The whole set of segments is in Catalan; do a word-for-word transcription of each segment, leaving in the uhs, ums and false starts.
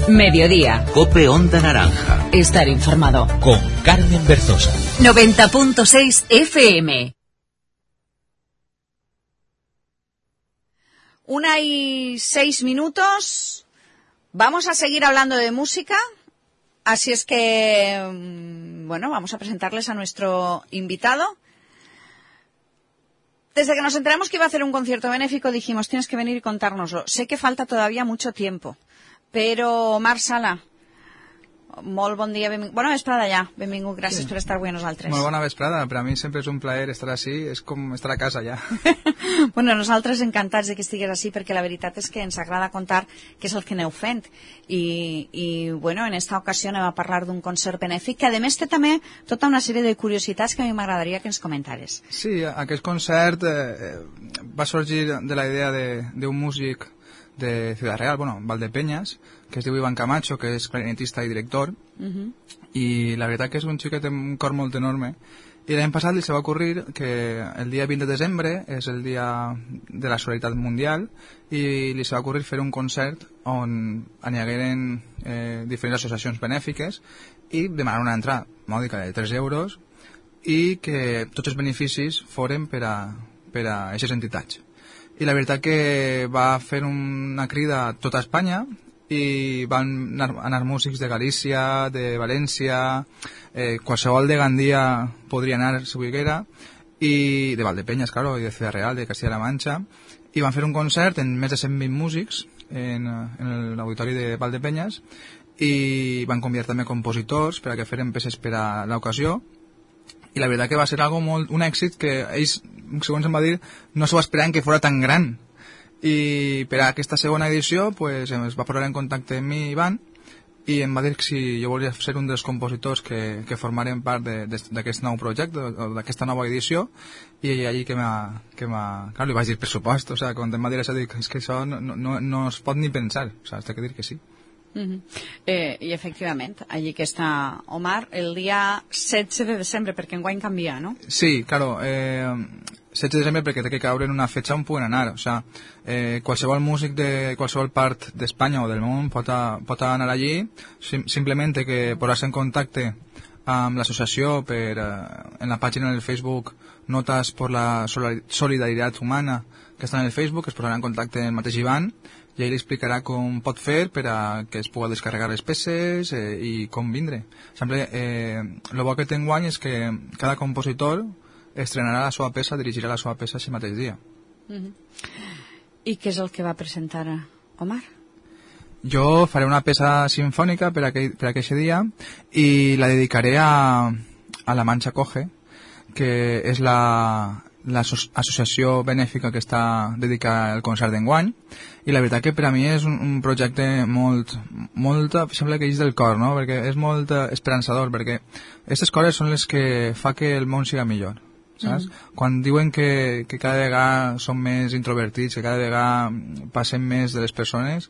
Mediodía. COPE Onda Naranja. Estar informado. Con Carmen Berzosa. noventa punto seis F M. Una y seis minutos. Vamos a seguir hablando de música. Así es que, bueno, vamos a presentarles a nuestro invitado. Desde que nos enteramos que iba a hacer un concierto benéfico, dijimos, tienes que venir y contárnoslo. Sé que falta todavía mucho tiempo, pero Omar Sala, molt bon dia, benvingut. Bona vesprada ja, benvingut, gràcies sí. per estar avui a nosaltres. Molt bona vesprada, per a mi sempre és un plaer estar així, és com estar a casa ja. Bueno, nosaltres encantats de que estigués així, perquè la veritat és que ens agrada contar què és el que aneu fent. I, i bueno, en esta ocasió anem a parlar d'un concert benèfic, que a més té també tota una sèrie de curiositats que a mi m'agradaria que ens comentares. Sí, aquest concert eh, va sorgir de la idea d'un músic de Ciudad Real, bueno, Valdepeñas, que es diu Iván Camacho, que és clarinetista i director, uh-huh. i la veritat que és un xic que té un cor molt enorme. I l'any passat li se va ocurrir que el dia vint de desembre és el dia de la solidaritat mundial i li se va ocurrir fer un concert on hi hagueren eh, diferents associacions benèfiques i demanar una entrada mòdica de tres euros i que tots els beneficis foren per a, per a aquestes entitats. I la veritat que va fer una crida a tota Espanya i van anar, anar músics de Galícia, de València, eh, qualsevol de Gandia podria anar si volguera, i de Valdepeñas, claro, i de Ciudad Real, de Castilla-La Mancha, i van fer un concert en més de cent vint músics en, en l'auditori de Valdepeñas i van convidar també compositors per a que feren peces per a l'ocasió. I la veritat que va ser algo molt, un èxit que ells, segons em va dir, no s'ho esperaven que fos tan gran. I per a aquesta segona edició pues, es va posar en contacte amb mi, Ivan, i em va dir que si jo volia ser un dels compositors que, que formaren part d'aquest nou projecte, o d'aquesta nova edició, i allí que m'ha... Que clar, li vaig dir pressupost, o sigui, quan em va dir això, dic, és que això no, no, no es pot ni pensar, o sigui, has de dir que sí. Uh-huh. eh, I efectivament, allí que està Omar, el dia setze de desembre, perquè enguany canvia, no? Sí, claro, eh, setze de desembre perquè té que caure en una fetxa on puguen anar, o sea, eh, qualsevol músic de qualsevol part d'Espanya o del món pot, a, pot anar allí, sim, simplement que posar-se en contacte amb l'associació per, eh, en la pàgina del Facebook Notas por la Solidaridad Humana, que està en el Facebook, es posarà en contacte amb el mateix Ivan, i ell li explicarà com pot fer per a que es pugui descarregar les peces eh, i com vindre. Sempre, eh, el bo que té enguany és que cada compositor estrenarà la seva peça, dirigirà la seva peça aquest mateix dia. Uh-huh. I què és el que va presentar Omar? Jo faré una peça sinfònica per aquell, per aquell dia i la dedicaré a, a La Mancha Coge, que és la... l'associació benèfica que està dedicada al concert d'enguany, i la veritat que per a mi és un, un projecte molt, molt, sembla que és del cor, no? Perquè és molt esperançador, perquè aquestes coses són les que fa que el món siga millor, saps? Mm-hmm. Quan diuen que, que cada vegada som més introvertits, que cada vegada passem més de les persones,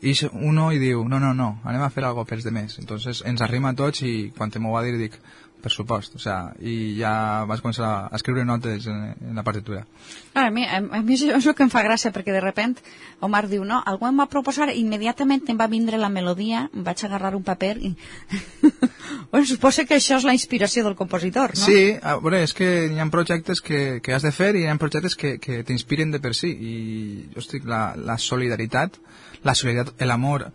i uno i diu, no, no, no, anem a fer alguna cosa pels demés. Entonces ens arrima a tots i quan te m'ho va dir dic, per supost, o sea, i ja vas començar a escriure notes en, en la partitura. A mi, a, a mi això és el que em fa gràcia, perquè de repent Omar diu, no, algú em va proposar, immediatament em va vindre la melodia, em vaig agarrar un paper i... bueno, suposo que això és la inspiració del compositor, no? Sí, a veure, és que hi ha projectes que, que has de fer i hi ha projectes que, que t'inspiren de per si, i jo estic, la, la solidaritat, la solidaritat, l'amor,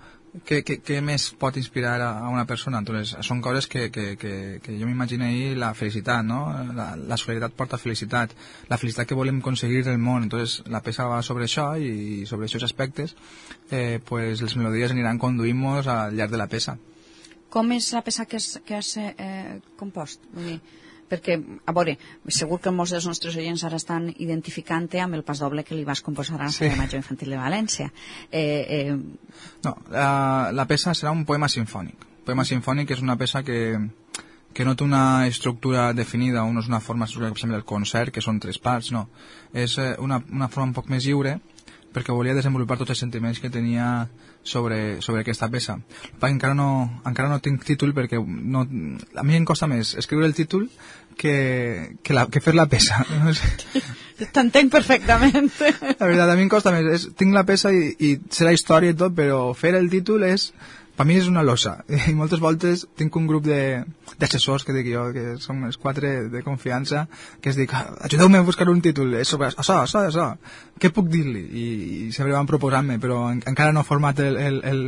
Què, què, què més pot inspirar a una persona? Entonces, són coses que, que, que, que jo m'imagino ahir, la felicitat, no? La, la solidaritat porta felicitat, la felicitat que volem aconseguir del món. Entonces, la peça va sobre això i sobre aquests aspectes, eh, pues les melodies aniran conduint-nos al llarg de la peça. Com és la peça que has, que has eh, compost? Vull dir, perquè, a veure, segur que molts dels nostres oients ara estan identificant-te amb el pas doble que li vas composar a la Sala Major Infantil de València. Eh, eh... No, la, la peça serà un poema sinfònic. Un poema sinfònic és una peça que, que no té una estructura definida, o no és una forma estructurada, per exemple, del concert, que són tres parts, no. És una, una forma un poc més lliure, perquè volia desenvolupar tots els sentiments que tenia sobre, sobre aquesta peça. Encara no, encara no tinc títol perquè no, a mi em costa més escriure el títol que, que, la, que fer la peça. T'entenc perfectament. La veritat, a mi em costa més. És, tinc la peça i, i sé la història i tot, però fer el títol és... Per mi és una losa. I moltes voltes tinc un grup de, d'assessors, que dic jo, que som els quatre de confiança, que es dic, ajudeu-me a buscar un títol, és sobre això, això, això. Què puc dir-li? I, i sempre van proposant-me, però en, encara no he format el, el, el,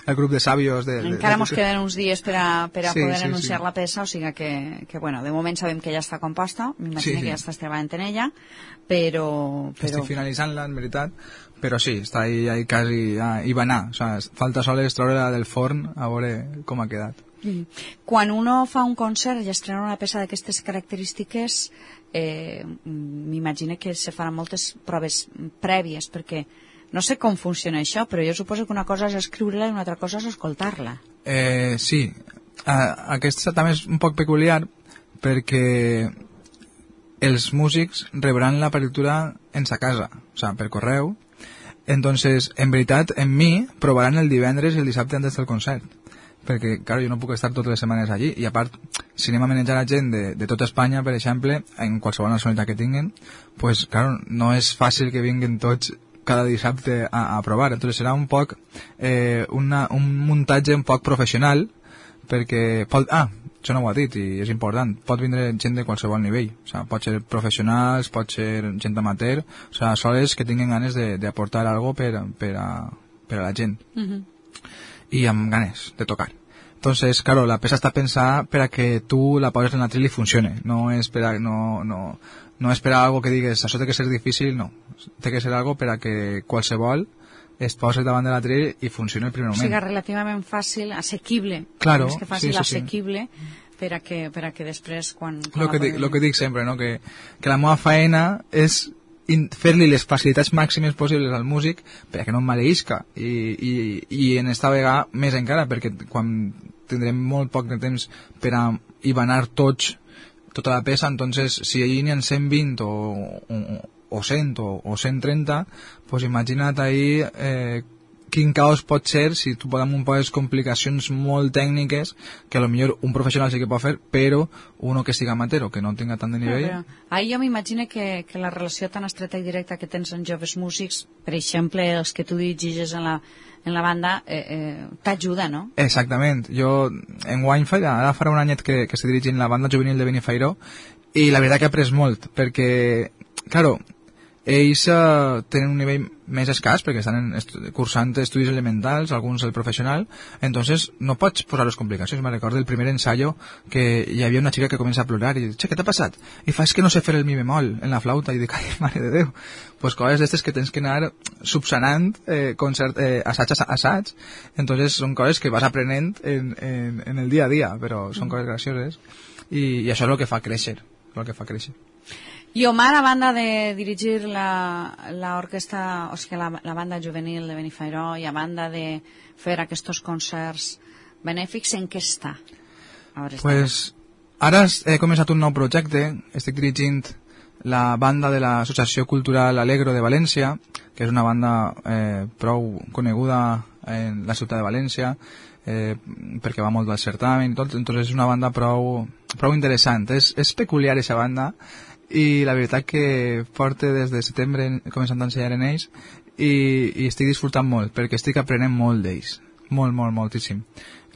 el grup de sàvios. De, encara de, mos queden uns dies per a, per a sí, poder sí, anunciar sí. la peça, o sigui que, que, bueno, de moment sabem que ja està composta, m'imagino sí, sí. que ja estàs treballant en ella, però... però... Estic finalitzant-la, en veritat, però sí, està ahí, ahí quasi a hibanar, o sea, falta sols treure-la del forn a veure com ha quedat. Mm. Quan uno fa un concert i estrena una peça d'aquestes característiques, eh, m'imagino que se faran moltes proves prèvies, perquè no sé com funciona això, però jo suposo que una cosa és escriure-la i una altra cosa és escoltar-la. Eh, sí, uh, aquesta també és un poc peculiar perquè els músics rebran la partitura en sa casa, o sea, per correu. Entonces, en veritat, en mi provaran el divendres i el dissabte antes del concert. Perquè, clar, jo no puc estar totes les setmanes allí. I a part, si anem a manejar a gent de, de tota Espanya, per exemple, en qualsevol nacionalitat que tinguen, pues, clar, no és fàcil que vinguen tots cada dissabte a, a provar. Entonces serà un poc eh, una, un muntatge un poc professional, perquè pot... Ah, això no ho ha dit i és important, pot vindre gent de qualsevol nivell, o sea, pot ser professionals, pot ser gent amateur, o sea, sols que tinguin ganes d'aportar algo per, per, a, per a la gent. Uh-huh. I amb ganes de tocar. Entonces, claro, la peça està pensada per a que tu la poses en la tril i funcione, no és per a, no, no, no és per a algo que digues, això té que ser difícil, no, té que ser algo per a que qualsevol es posa davant de la tril i funciona el primer moment. O sigui, relativament fàcil, assequible. Claro, més que fàcil, sí, sí, sí. assequible, per a que, per a que després, quan... quan Lo que, dic, lo que dic sempre, no? que, que la meva faena és fer-li les facilitats màximes possibles al músic per a que no em maleïsca. I, i, i en esta vegada més encara, perquè quan tindrem molt poc de temps per a hibanar tots tota la peça, entonces si allí n'hi ha cent vint o... o o cent o, o cent trenta, pues imagina't ahí eh, quin caos pot ser si tu podem un poques complicacions molt tècniques que a lo millor un professional sí que pot fer, però uno que siga amateur o que no tinga tant de nivell. Però, però, ahir jo m'imagino que, que la relació tan estreta i directa que tens amb joves músics, per exemple, els que tu dirigis en la, en la banda, eh, eh, t'ajuda, no? Exactament. Jo en Winefight, ara farà un anyet que, que estic dirigint la banda juvenil de Benifairó, i la veritat que he après molt, perquè, claro, ells uh, tenen un nivell més escàs perquè estan en estu cursant estudis elementals, alguns el professional, entonces no pots posar les complicacions. Me recordo el primer ensayo que hi havia una xica que comença a plorar i dic, què t'ha passat? I fa, és que no sé fer el mi bemol en la flauta. I dic, ai, mare de Déu. Pues coses d'estes que tens que anar subsanant eh, concert, eh, assaig a assaig. Entonces són coses que vas aprenent en, en, en el dia a dia, però són coses gracioses i, i això és el que fa créixer, el que fa créixer. I Omar, a banda de dirigir l'orquestra, o sigui, la, la banda juvenil de Benifairó, i a banda de fer aquests concerts benèfics, en què està? Pues, ara he començat un nou projecte, estic dirigint la banda de l'Associació Cultural Alegro de València, que és una banda eh, prou coneguda en la ciutat de València, eh, perquè va molt al certamen i tot, entonces és una banda prou, prou interessant. És, és peculiar aquesta banda, i la veritat que porto des de setembre començant a ensenyar en ells i, i estic disfrutant molt perquè estic aprenent molt d'ells, molt, molt, moltíssim.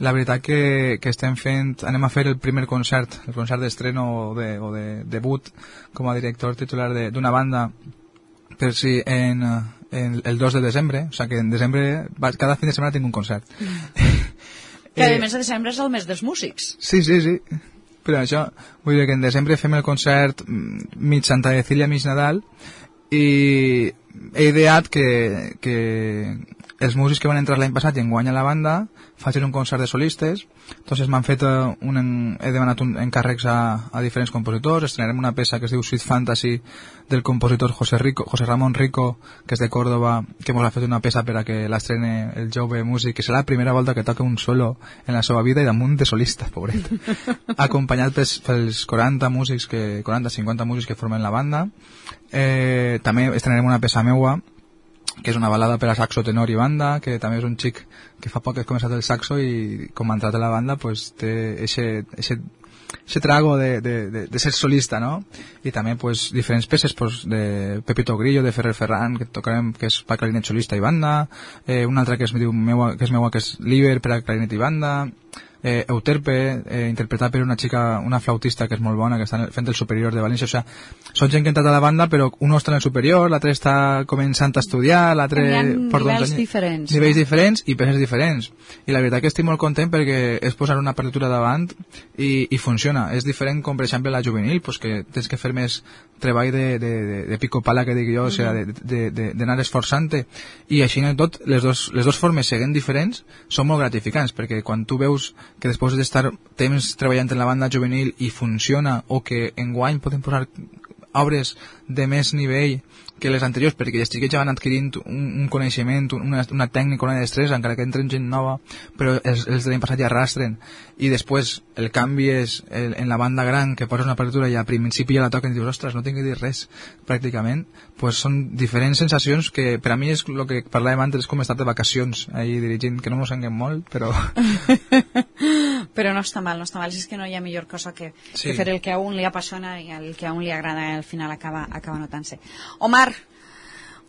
La veritat que, que estem fent, anem a fer el primer concert, el concert d'estreno o, de, o de debut com a director titular d'una banda per si en, en el dos de desembre, o sigui que en desembre cada fin de setmana tinc un concert. Mm. Que a més de desembre és el mes dels músics. Sí, sí, sí. Però això, vull dir que en desembre fem el concert mig Santa Cecília, mig Nadal, i he ideat que, que els músics que van entrar l'any passat i enguany a la banda facin un concert de solistes. Entonces m'han fet un, he demanat un encàrrecs a, a diferents compositors. Estrenarem una peça que es diu Sweet Fantasy del compositor José, Rico, José Ramón Rico, que és de Córdoba, que ens ha fet una peça per a que l'estrene el jove músic, que serà la primera volta que toca un solo en la seva vida i damunt de solista, pobret. Acompanyat pels, pels quaranta músics, que, quaranta cinquanta músics que formen la banda. Eh, també estrenarem una peça meua, que és una balada per a saxo, tenor i banda, que també és un xic que fa poc que ha començat el saxo i com ha entrat a la banda pues, té eixe, eixe ese trago de, de, de, de ser solista, ¿no? Y también, pues, diferentes peces, pues, de Pepito Grillo, de Ferrer Ferran, que tocarem, que és per clarinet solista i banda, eh, una altra que és, meua, que és meua, que és Liber, per a clarinet i banda, eh, Euterpe, eh, interpretat per una xica, una flautista que és molt bona, que està fent el superior de València. O sea, són gent que ha entrat a la banda, però un està en el superior, l'altre està començant a estudiar, l'altre... Hi ha nivells anys, diferents. Nivells no? diferents i peces diferents. I la veritat que estic molt content perquè és posar una partitura davant i, i funciona. És diferent com, per exemple, la juvenil, pues, que tens que fer més treball de, de, de, de pico pala, que dic jo, mm-hmm. o sea, d'anar de, de, de, esforçant-te. I així en tot, les dos, les dos formes seguint diferents són molt gratificants, perquè quan tu veus que després d'estar temps treballant en la banda juvenil i funciona, o que enguany podem posar obres de més nivell que les anteriors, perquè els xiquets ja van adquirint un, un coneixement, una, una tècnica, una destresa, encara que entren gent nova, però els, els de l'any passat ja arrastren. I després el canvi és el, en la banda gran, que poses una partitura i al principi ja la toquen i dius, ostres, no tinc que dir res, pràcticament. Pues són diferents sensacions que per a mi és el que parlàvem antes, és com estar de vacacions ahí dirigint, que no m'ho senguen molt, però... però no està mal, no està mal. És que no hi ha millor cosa que, sí. que fer el que a un li apassiona i el que a un li agrada al final acaba, acaba notant-se. Omar,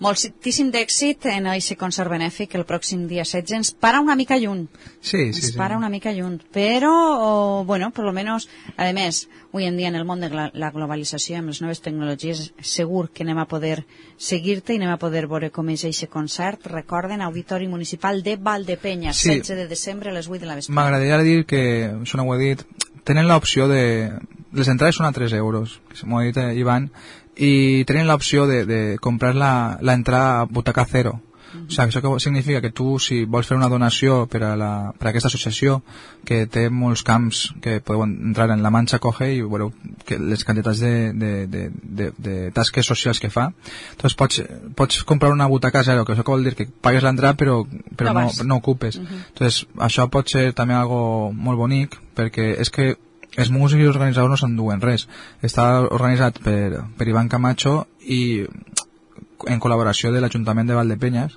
moltíssim d'èxit en aquest concert benèfic el pròxim dia setze. Ens para una mica lluny. Sí, sí, ens sí. para una mica lluny. Però, oh, bueno, por lo menos, a més, avui en dia en el món de la globalització, amb les noves tecnologies, segur que anem a poder seguir-te i anem a poder veure com és aquest concert. Recorden, Auditori Municipal de Valdepenyes, sí. setze de desembre a les vuit de la vesprada. M'agradaria dir que, això no ho he dit, tenen l'opció de... Les entrades són a tres euros, que m'ho ha dit eh, Ivan, i tenen l'opció de, de comprar la, la entrada a butaca cero. Uh-huh. O sigui, això que significa que tu, si vols fer una donació per a, la, per a aquesta associació, que té molts camps que podeu entrar en La Manxa Coge i veureu que les quantitats de, de, de, de, de tasques socials que fa, doncs pots, pots comprar una butaca zero, que això que vol dir que pagues l'entrada però, però no, no, no ocupes. Uh-huh. Doncs això pot ser també algo molt bonic, perquè és que els músics i els organitzadors no s'enduen res. Està organitzat per, per Ivan Camacho i en col·laboració de l'Ajuntament de Valdepenyes,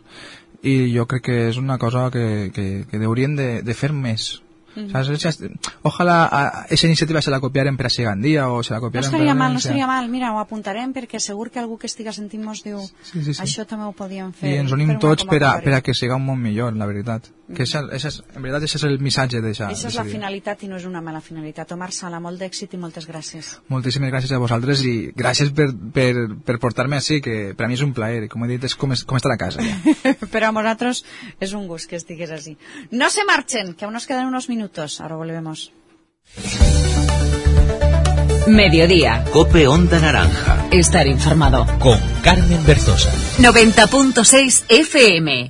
i jo crec que és una cosa que, que, que haurien de, de fer més. Mm. ¿Sabes? Ojalá a esa iniciativa se la copiaren per a Sigandía o se la copiaren no estaria per a mal, no estaria mal, mira, ho apuntarem perquè segur que algú que estiga sentint mos diu sí, sí, sí. això també ho podíem fer. I ens unim tots per a, per a que siga un món millor, la veritat. Que esa, esa és, en veritat, això és el missatge d'això. Això és la finalitat i no és una mala finalitat. Omar Sala, molt d'èxit i moltes gràcies. Moltíssimes gràcies a vosaltres i gràcies per, per, per portar-me així, que per a mi és un plaer. Com he dit, és com, com estar a casa. Ja. Però a nosaltres és un gust que estigués així. No se marchen, que aún nos quedan unos minutos. Ahora volvemos. Mediodía. Cope Onda Naranja. Estar informado. Con Carmen Berzosa. noventa punto seis F M.